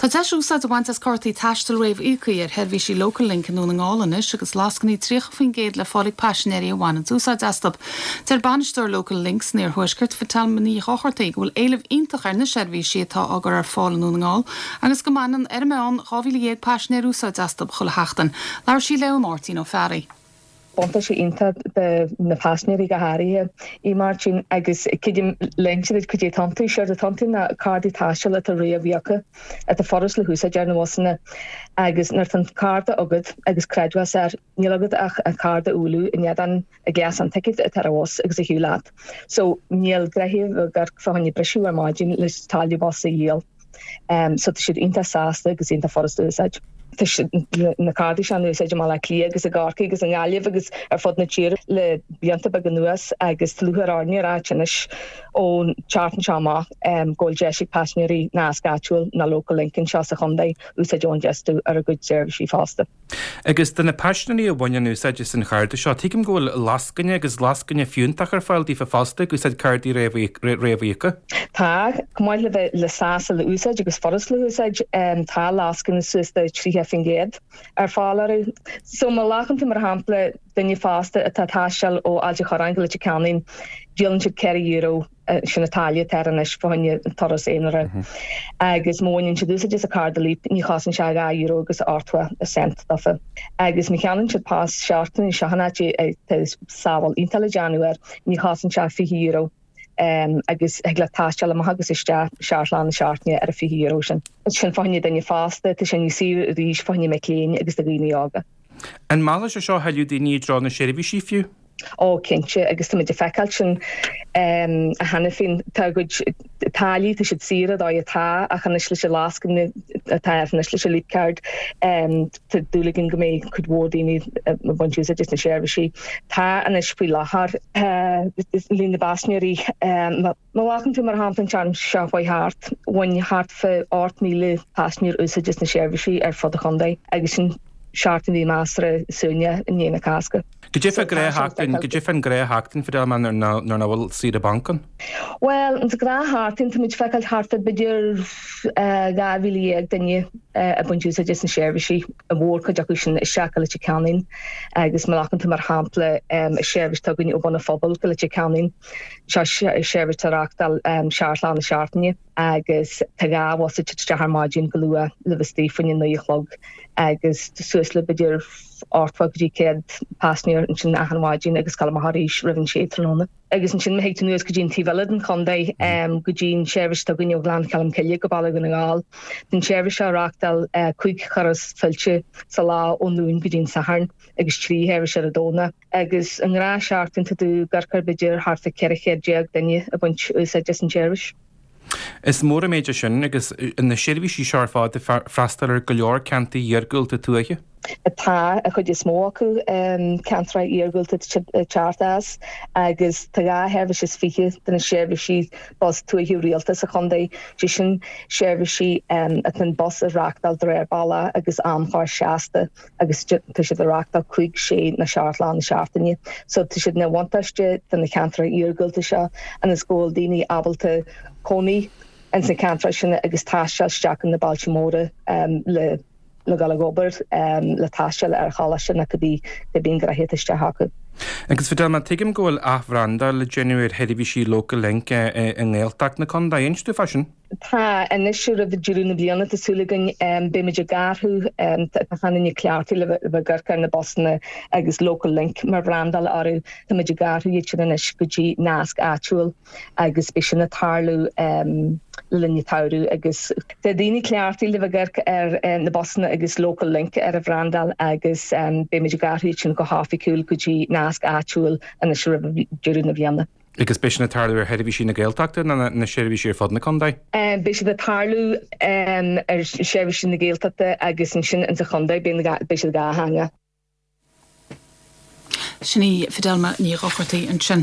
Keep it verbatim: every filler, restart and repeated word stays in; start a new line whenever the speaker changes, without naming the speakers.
Tá deis úsáid a bhaint as cártaí taistil réamhíoctha ar sheirbhísí Local Link i nDún na nGall anois agus lascainí tríocha faoin gcéad le fáil ag paisinéirí a bhaineann úsáid astu. Deir bainisteoir Local Link san Iarthuaisceart Fidelma Ní Dhochartaigh go bhfuil éileamh iontach ar na seirbhísí atá á gcur ar fáil i nDún na nGall agus go mbaineann ar an meán dhá mhíle dhéag paisinéir úsáid astu chuile sheachtain. Labhair sí le Máirtín Ó Fearraigh.
Buntáiste iontach do na paisinéirí go háirithe í Martin agus leinse cad é atá iontu séard atá iontu ná cártaí taistil atá réamhíoctha atá furast le húsáid ar na busanna agus nuair atá an cárta agat agus creidmheas air níl agat ach an cárta a bhualadh in éadan an gléas ticéid atá ar an bhus agus ar shiúl leat. So níl gnoithe gur fá choinne briseadh ar maidin le táille bus a dhíol. Um, so tá siad iontach sásta agus iontach furast a úsáid. Tá na cártaí seo in úsáid i mBaile Átha Cliath agus i gCorcaigh agus i nGaillimh agus ar fud na tíre le blianta beaga anuas agus tá lúcháir orainn a rá anois ón tseachtain seo amach um, go bhfuil deis ag paisinéirí nasc áitiúil nó Local Link anseo sa chontae úsáid a bhaint astu ar a gcuid seirbhísí fosta.
Agus do na paisinéirí a bhaineann úsáid as an chárta seo, tuigim go bhfuil lascaine agus lascaine fiúntach ar fáil daofa fosta ag úsáid cártaí réamhíoctha?
Tá chomh maith le bheith le sásta le úsáid agus furast le húsáid tá lascaine suas de tríocha faoin gcéad ar fáil orthu. So má ghlacann tú mar shampla duine fásta atá taisteal ó Ailt an Chorráin go Leitir Ceanainn, díolann siad ceithre euro sin an táille atá anois fá choinne turas aonair. Agus má bhaineann siad úsáid as an cárta Leap ní chosann sé dhá euro agus ochtó cent daofa. Agus má cheannaíonn siad pas seachtaine seo an áit tá sábháil iontach le déanamh air ní chosann sé fiche euro. Um, agus thig le taisteal amach agus isteach seacht lá na seachtaine ar a fiche euro sin. Sin fá choinne duine fásta, tá sin níos saoire arís fá choinne mic léinn agus do dhaoine óga.
An meallfaidh sé seo thuilleadh daoine i dtreo na seirbhísí fiú?
Ó cinnte agus tá muid ag feiceáil sin um, cheana féin tá cuid táillí tá siad saor dá atá ach anois leis an lascaine atá anois leis an Leap Card um, tá dúil againn go mbeidh cuid mhór daoine ag baint úsáid as na seirbhísí. Tá anois faoi láthair líon na bpaisinéirí má ghlacann tú mar shampla an tseachtain seo chuaigh thart, bhain thart fá ocht míle paisinéir úsáid as na seirbhísí ar fud an chontae agus sin seachtain bhí measartha suaimhneach i ndiaidh na Cásca.
Cad é fán ghnáthsheachtain cad é fán ghnáthsheachtain Fidelma nuair nach bhfuil saoire bainc ann?
Well an ghnáthsheachtain tá muid ag feiceáil thart b'fhéidir dhá mhíle dhéag duine ag baint úsáid as na seirbhísí a mhórchuid acu sin isteach go Leitir Ceanainn agus má ghlacann tú mar shampla seirbhís atá againn ó Bhun an Phobail go Leitir Ceanainn seo seirbhís atá á reáchtáil seacht lá na seachtaine agus tá dhá bhus ag isteach ar maidin go luath le bheith istigh faoina naoi a chlog agus suas le b'fhéidir ochtó go dtí céad paisinéir ansin achan mhaidin agus ag gabháil amach arís roimh an sé tráthnóna. Agus ansin má thig tú anuas go dtí an taobh eile den chontae go dtí an seirbhís atá againn ó Ghleann Cholm Cille go Baile Dhún na nGall. Tá an seirbhís seo á reáchtáil cúig thuras fillte sa lá ón Luan go dtí an Satharn agus trí sheirbhís ar an Domhnach. Agus i ngnáthsheachtain tá tú ag amharc ar b'fhéidir thart fá ceithre chéad déag duine ag baint úsáid as an tseirbhís.
Is mór an méid é sin agus na seirbhísí seo ar fad ag freastal ar go leor ceantair iargúlta tuaithe.
Tá a chuid is mó acu ceantair iargúlta teacht as agus tá dhá sheirbhís is fiche de na seirbhísí bus tuaithe rialta sa chontae, sé sin seirbhísí atá an bus á reáchtáil de réir bealaigh agus amchlár seasta agus tá siad á reáchtáil cúig, sé nó seacht lá na seachtaine. So tá siad ina bhuntáiste do na ceantair iargúlta seo ionas go bhfuil daoine ábalta cónaí ins na ceantair sin agus taisteal isteach in na bailte móra le le dul ag obair, le taisteal ar choláiste nó cibé cibé an gnoithe atá isteach acu.
Agus Fidelma, tuigim go bhfuil athbhrandáil le déanamh ar sheirbhísí Local Link i nGaeltacht na contae. Inis dúinn fá sin.
Tá, anois roimh deireadh na bliana tá súil againn beimid ag athrú, tá achan duine cleachtaithe le bheith ag amharc ar na busanna agus Local Link mar bhrandáil orthu, táimid ag athrú iad sin anois go dtí nasc áitiúil agus beidh sin ag tarlú le linn an tsamhraidh agus tá daoine cleachtaithe le bheith ag amharc ar na busanna agus Local Link ar a bhrandáil agus beimid ag athrú iad sin go hoifigiúil go dtí nasc áitiúil anois roimh deireadh na bliana.
Agus beidh sin ag tarlú ar sheirbhísí na Gaeltachta nó na seirbhísí ar fud na contae?
Beidh siad ag tarlú ar sheirbhísí na Gaeltachta agus ansin insa chontae beidh siad dhá theanga.
Sin í Fidelma Ní Dhochartaigh ansin.